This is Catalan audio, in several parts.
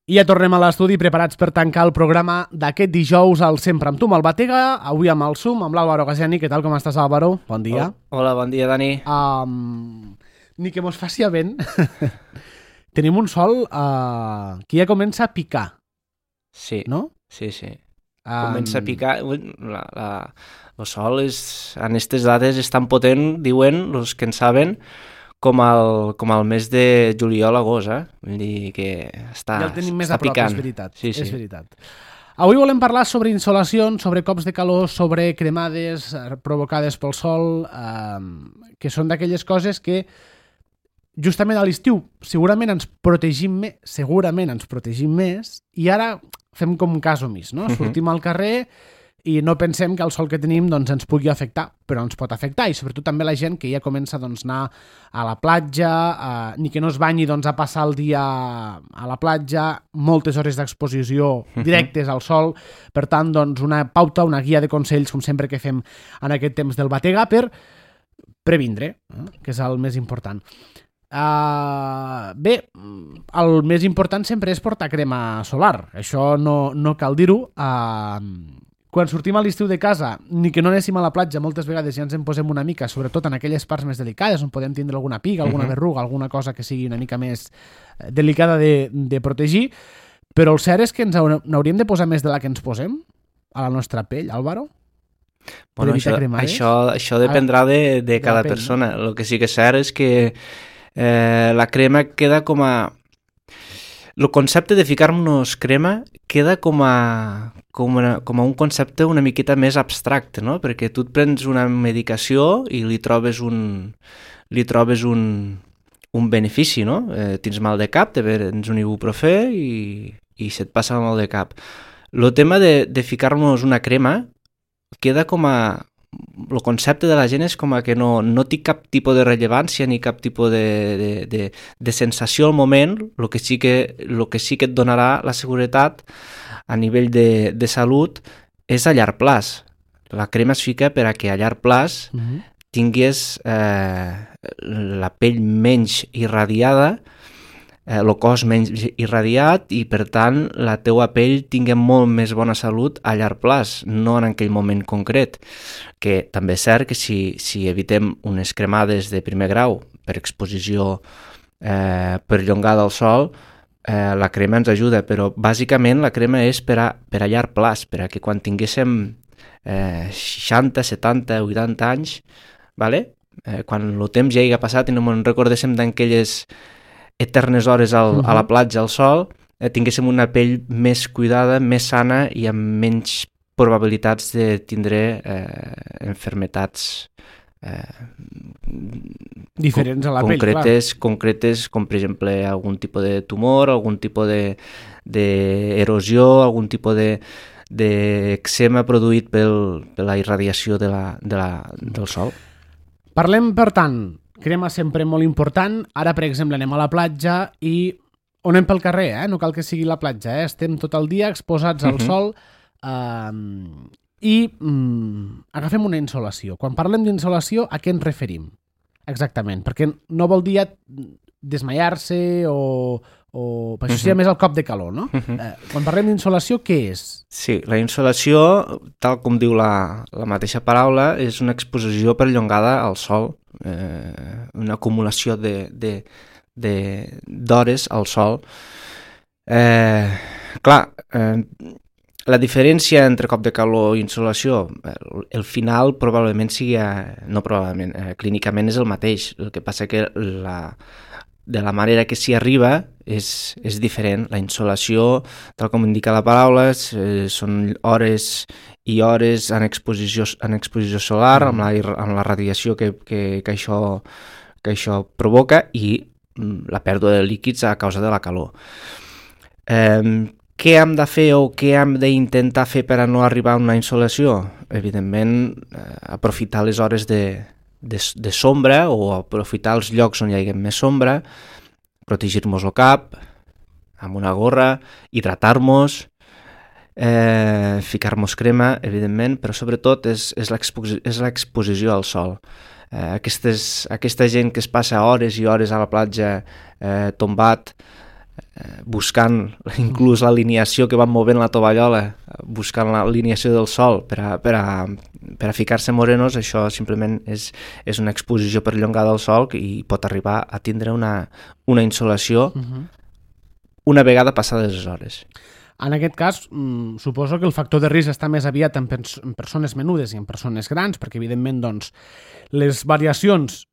I ja tornem a l'estudi preparats per tancar el programa d'aquest dijous al Sempre amb tu, amb el Batega, avui amb el Zoom, amb l'Àlvaro Gasiani. Què tal, com estàs, Àlvaro? Bon dia. Hola, bon dia, Dani. Ni que mos faci vent. Tenim un sol que ja comença a picar. Sí, no? Sí. Comença a picar. El sol en aquestes dates és tan potent, diuen els que en saben, com el mes de juliol-agost, Vull dir que està picant. Ja el tenim més a prop, és veritat. Sí. És veritat. Avui volem parlar sobre insolacions, sobre cops de calor, sobre cremades provocades pel sol, que són d'aquelles coses que justament a l'estiu segurament ens protegim més i ara fem com un cas omís, no? Sortim al carrer i no pensem que el sol que tenim doncs, ens pugui afectar, però ens pot afectar, i sobretot també la gent que ja comença doncs, a anar a la platja, ni que no es banyi doncs, a passar el dia a la platja, moltes hores d'exposició directes al sol. Per tant, doncs, una pauta, una guia de consells, com sempre que fem en aquest temps del Batega, per previndre, que és el més important. Bé, el més important sempre és portar crema solar, això no cal dir-ho. Quan sortim a l'estiu de casa, ni que no anéssim a la platja, moltes vegades ja ens en posem una mica, sobretot en aquelles parts més delicades on podem tindre alguna piga, alguna berruga, alguna cosa que sigui una mica més delicada de protegir, però el cert és que n'hauríem de posar més de la que ens posem a la nostra pell, Àlvaro? Bueno, això dependrà de cada persona. El que sí que és cert és que la crema queda com a... El concepte de ficar-nos crema queda com a un concepte una miqueta més abstracte, no? Perquè tu et prens una medicació i li trobes un benefici, no? Tens mal de cap, te prens un ibuprofè i se't passa el mal de cap. El tema de ficar-nos una crema queda com a... El concepte de la gent és com a que no té cap tipus de rellevància ni cap tipus de sensació al moment. El que sí que et donarà la seguretat a nivell de salut és a llarg plaç. La crema es fica per a que a llarg plaç tinguis la pell menys irradiada, el cos menys irradiat, i per tant la teua pell tingui molt més bona salut a llarg plaç, no en aquell moment concret. Que també és cert que si evitem unes cremades de primer grau per exposició perllongada al sol, la crema ens ajuda, però bàsicament la crema és per a llarg plaç, per a que quan tinguéssim 60, 70, 80 anys, quan el temps ja hi ha passat i no ens recordéssim d'aquelles eternes hores a la platja al sol, tinguéssim una pell més cuidada, més sana i amb menys probabilitats de tindre enfermetats diferents a la concretes, pell, concretes, com per exemple algun tipus de tumor, algun tipus d'erosió, algun tipus d'eczema produït per la irradiació del sol. Parlem, per tant, crema sempre molt important. Ara, per exemple, anem a la platja i on anem pel carrer, no cal que sigui la platja, estem tot el dia exposats al sol i agafem una insolació. Quan parlem d'insolació, a què ens referim? Exactament, perquè no vol dir desmaiar-se o per això seria més el cop de calor, no? Quan parlem d'insolació, què és? Sí, la insolació, tal com diu la mateixa paraula, és una exposició perllongada al sol, una acumulació d'hores al sol. La diferència entre cop de calor i insolació, el final probablement sigui, clínicament és el mateix. El que passa que de la manera que s'hi arriba és diferent. La insolació, tal com indica la paraula, són hores i hores en exposició solar, amb la radiació que això provoca, i la pèrdua de líquids a causa de la calor. Què hem de fer o què hem d'intentar fer per a no arribar a una insolació? Evidentment, aprofitar les hores de sombra o aprofitar els llocs on hi hagi més sombra, protegir-nos el cap amb una gorra, hidratar-nos, ficar-nos crema, evidentment, però sobretot és l'exposició al sol. Aquesta gent que es passa hores i hores a la platja tombat, buscant inclús l'alineació que van movent la tovallola, buscant l'alineació del sol per a ficar-se morenos, això simplement és una exposició perllongada al sol i pot arribar a tindre una insolació una vegada passades les hores. En aquest cas, suposo que el factor de risc està més aviat en persones menudes i en persones grans, perquè evidentment doncs, les variacions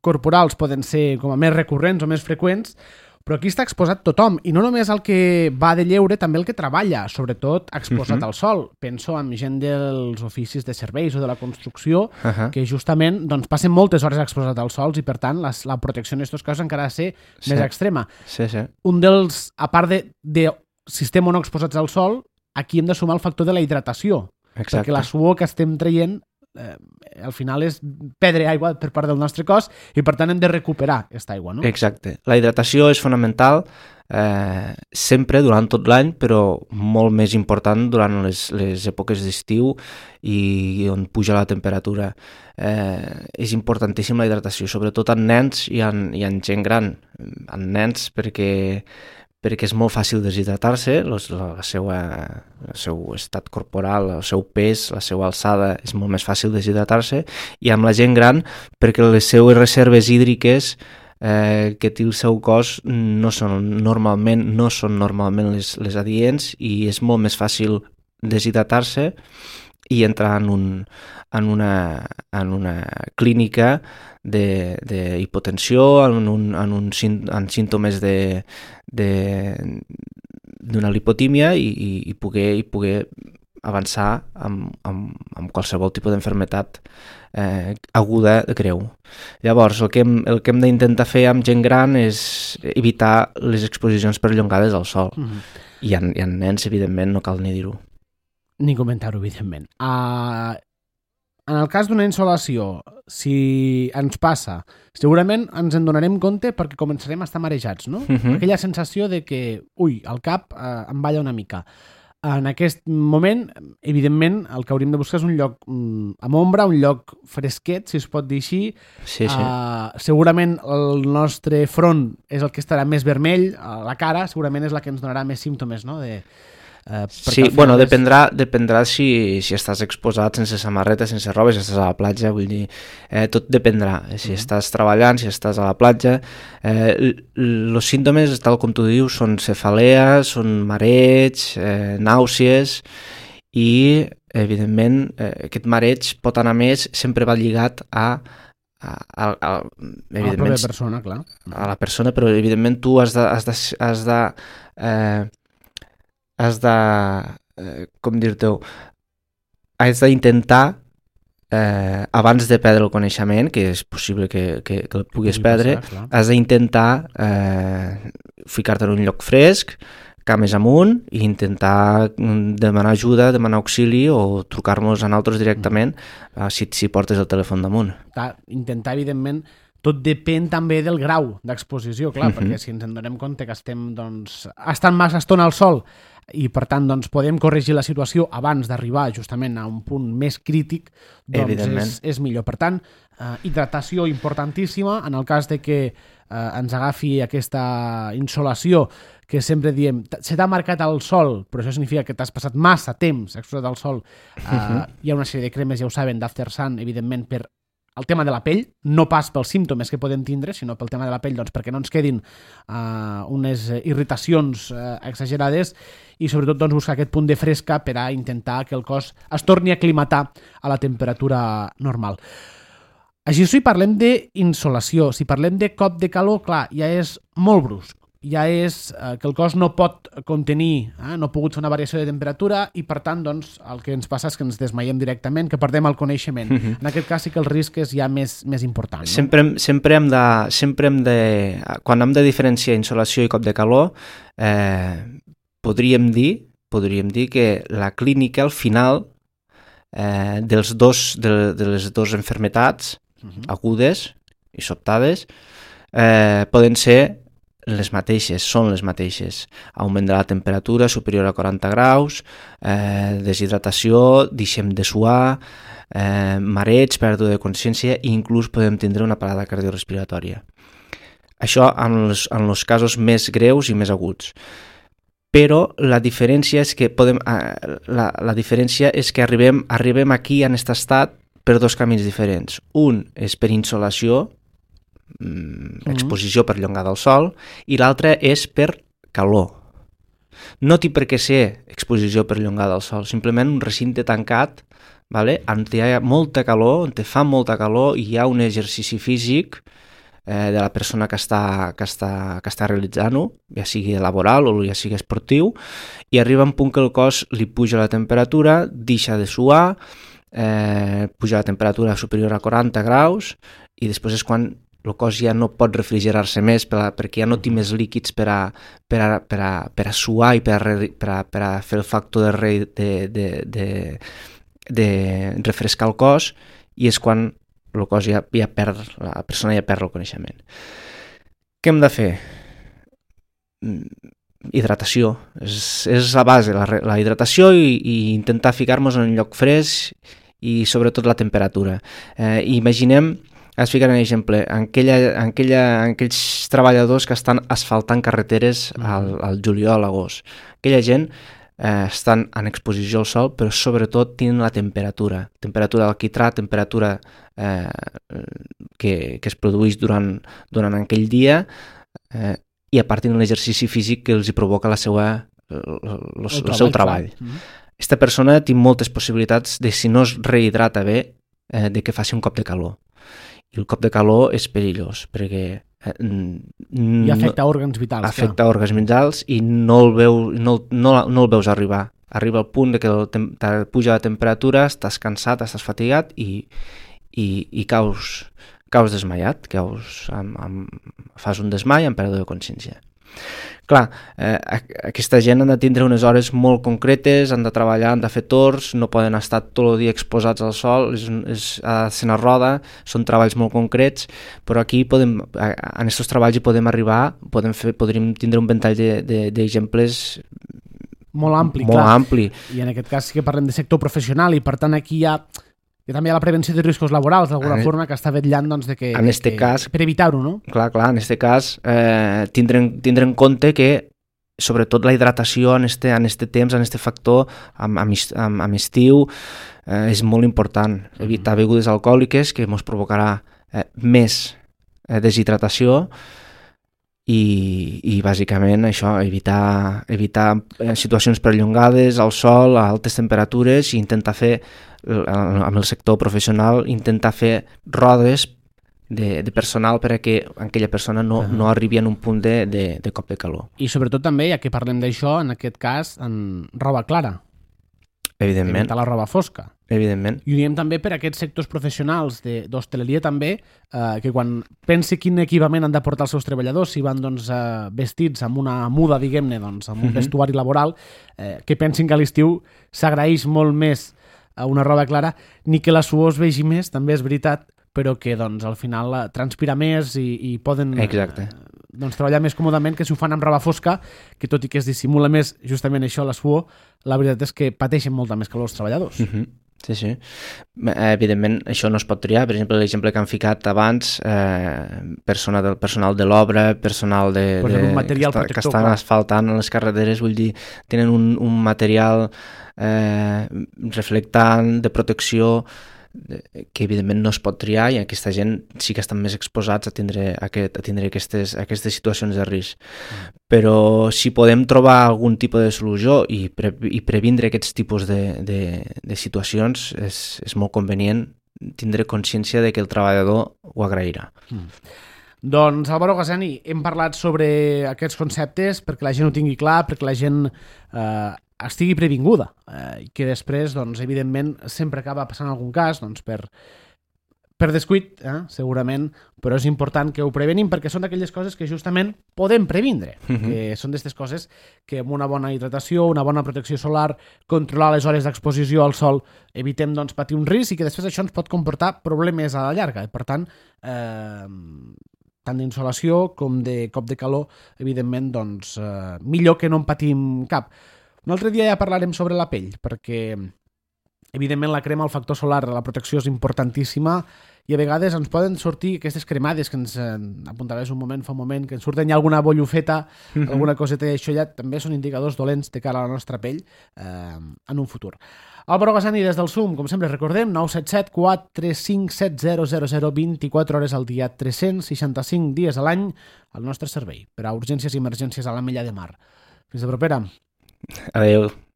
corporals poden ser com a més recurrents o més freqüents, però aquí està exposat tothom, i no només el que va de lleure, també el que treballa, sobretot exposat al sol. Penso en gent dels oficis de serveis o de la construcció, que justament doncs, passen moltes hores exposat al sol i per tant la protecció en aquests casos encara ha de ser més extrema. Un dels, a part de si estem o no exposats al sol, aquí hem de sumar el factor de la hidratació, perquè la suor que estem traient al final és perdre aigua per part del nostre cos i per tant hem de recuperar aquesta aigua, no? Exacte. La hidratació és fonamental sempre durant tot l'any, però molt més important durant les èpoques d'estiu i on puja la temperatura. És importantíssim la hidratació, sobretot en nens i en gent gran. En nens perquè és molt fàcil deshidratar-se, el seu estat corporal, el seu pes, la seva alçada, és molt més fàcil deshidratar-se, i amb la gent gran perquè les seues reserves hídriques que té el seu cos no són normalment les adients i és molt més fàcil deshidratar-se i entrar en una clínica d'hipotensió, en símptomes d'una lipotímia i poder avançar amb qualsevol tipus d'enfermetat aguda greu. Llavors, el que hem d'intentar fer amb gent gran és evitar les exposicions perllongades al sol. I en nens, evidentment, no cal ni dir-ho. Ni comentar-ho, evidentment. En el cas d'una insolació, si ens passa, segurament ens en donarem compte perquè començarem a estar marejats, no? Aquella sensació de que, el cap em balla una mica. En aquest moment, evidentment, el que hauríem de buscar és un lloc amb ombra, un lloc fresquet, si es pot dir així. Sí. Segurament el nostre front és el que estarà més vermell, la cara segurament és la que ens donarà més símptomes, no?, sí, bueno, dependrà si estàs exposat sense samarreta, sense roba, si estàs a la platja, vull dir, tot dependrà. Si estàs treballant, si estàs a la platja, els símptomes, tal com tu dius, són cefalea, són mareig, nàusees, i, evidentment, aquest mareig pot anar més, sempre va lligat a la pròpia persona, clar. A la persona, però, evidentment, tu has com dir-t'ho, has d'intentar abans de perdre el coneixement, que és possible que el puguis perdre, has d'intentar ficar-te en un lloc fresc, cames amunt, i intentar demanar ajuda, demanar auxili o trucar-nos a nosaltres directament si portes el telèfon damunt. Intentar, evidentment, tot depèn també del grau d'exposició, clar, perquè si ens en donem compte que estem estant massa estona al sol i per tant podem corregir la situació abans d'arribar justament a un punt més crític, doncs és millor. Per tant, hidratació importantíssima en el cas de que ens agafi aquesta insolació que sempre diem, se t'ha marcat el sol, però això significa que t'has passat massa temps exposat al sol. Hi ha una sèrie de cremes, ja ho saben, d'After Sun, evidentment, per el tema de la pell, no pas pels símptomes que podem tindre, sinó pel tema de la pell, doncs perquè no ens quedin unes irritacions exagerades i sobretot buscar aquest punt de fresca per a intentar que el cos es torni a aclimatar a la temperatura normal. Així, si parlem d'insolació, si parlem de cop de calor, clar, ja és molt brusc. Ja és que el cos no pot contenir, no ha pogut fer una variació de temperatura i, per tant, el que ens passa és que ens desmaiem directament, que perdem el coneixement. En aquest cas sí que el risc és ja més important. No? Sempre hem de... Quan hem de diferenciar insolació i cop de calor, podríem dir que la clínica, al final, de les dues enfermetats agudes i sobtades, poden ser són les mateixes. Augment de la temperatura superior a 40 graus, deshidratació, deixem de suar, mareig, pèrdua de consciència i inclús podem tindre una parada cardiorrespiratòria. Això en els casos més greus i més aguts. Però la diferència és que arribem aquí en aquest estat per dos camins diferents. Un és per insolació, exposició perllongada al sol, i l'altre és per calor. No té per què ser exposició perllongada al sol, simplement un recinte tancat, vale? On hi ha molta calor, on fa molta calor i hi ha un exercici físic de la persona que està realitzant-ho, ja sigui laboral o ja sigui esportiu, i arriba un punt que el cos li puja la temperatura, deixa de suar, puja la temperatura superior a 40 graus i després és quan el cos ja no pot refrigerar-se més perquè ja no té més líquids per a suar i per a fer el factor de refrescar el cos, i és quan el cos ja perd, la persona ja perd el coneixement. Què hem de fer? Hidratació. És la base, la hidratació i intentar ficar-nos en un lloc fresc i sobretot la temperatura. Imaginem, es fica un exemple, aquells treballadors que estan asfaltant carreteres al juliol, a l'agost. Aquella gent estan en exposició al sol, però sobretot tenen la temperatura d'alquitrà, temperatura que es produeix durant aquell dia, i a part tenen l'exercici físic que els hi provoca el seu treball. Aquesta persona té moltes possibilitats de, si no es rehidrata bé, de que faci un cop de calor. I el cop de calor és perillós, perquè i afecta òrgans vitals. Afecta òrgans vitals i no el veus arribar. Arriba al punt que puja la temperatura, estàs cansat, estàs fatigat i caus desmaiat, fas un desmai amb pèrdua de consciència. Clar, aquesta gent han de tindre unes hores molt concretes, han de treballar, han de fer torns, no poden estar tot el dia exposats al sol, ha de ser una roda, són treballs molt concrets, però aquí en aquests treballs hi podem arribar, podríem tindre un ventall d'exemples molt ampli, molt clar. Ampli. I en aquest cas sí que parlem de sector professional i per tant aquí també hi ha la prevenció de riscos laborals d'alguna forma que està vetllant doncs, per evitar-ho, no? Clar, en aquest cas tindre en compte que sobretot la hidratació en este temps, en este factor amb estiu és molt important. Evitar begudes alcohòliques que ens provocarà més deshidratació i bàsicament això, evitar situacions perllongades al sol, a altes temperatures, i intentar fer amb el sector professional, intentar fer rodes de personal per a que aquella persona no arribi en un punt de cop de calor. I sobretot també, ja que parlem d'això, en aquest cas, en roba clara. Evidentment. Evitar la roba fosca. Evidentment. I ho diem també per a aquests sectors professionals d'hostaleria també, que quan pensi quin equipament han de portar els seus treballadors, si van vestits amb una muda, diguem-ne, amb un vestuari laboral, que pensin que a l'estiu s'agraeix molt més una roba clara, ni que la suor es vegi més, també és veritat, però que al final transpira més i poden treballar més còmodament que si ho fan amb roba fosca, que tot i que es dissimula més justament això, la suor, la veritat és que pateixen molta més calor els treballadors. Sí. Evidentment, això no es pot triar. Per exemple, l'exemple que han ficat abans, personal de l'obra, personal que estan asfaltant les carreteres, vull dir, tenen un material reflectant, de protecció, que evidentment no es pot triar, i aquesta gent sí que estan més exposats a tindre aquestes situacions de risc. Però si podem trobar algun tipus de solució i previndre aquests tipus de situacions, és molt convenient tindre consciència de que el treballador ho agrairà. Doncs, Álvaro Gazani, hem parlat sobre aquests conceptes perquè la gent ho tingui clar, perquè la gent estigui previnguda, i que després, evidentment, sempre acaba passant algun cas, per descuit, segurament, però és important que ho prevenim perquè són d'aquelles coses que justament podem previndre, que són d'aquestes coses que amb una bona hidratació, una bona protecció solar, controlar les hores d'exposició al sol, evitem patir un risc i que després això ens pot comportar problemes a la llarga. Per tant, tant d'insolació com de cop de calor, evidentment, millor que no en patim cap. Un altre dia ja parlarem sobre la pell, perquè Evidentment, la crema, el factor solar, la protecció és importantíssima i a vegades ens poden sortir aquestes cremades que ens apuntaves fa un moment, que ens surten ja alguna bollufeta, alguna coseta, i això ja també són indicadors dolents de cara a la nostra pell en un futur. Álvaro Gasani, des del SUM, com sempre, recordem, 977 435 7000, 24 hores al dia, 365 dies a l'any, al nostre servei, per a urgències i emergències a la Mella de Mar. Fins la propera. Adéu.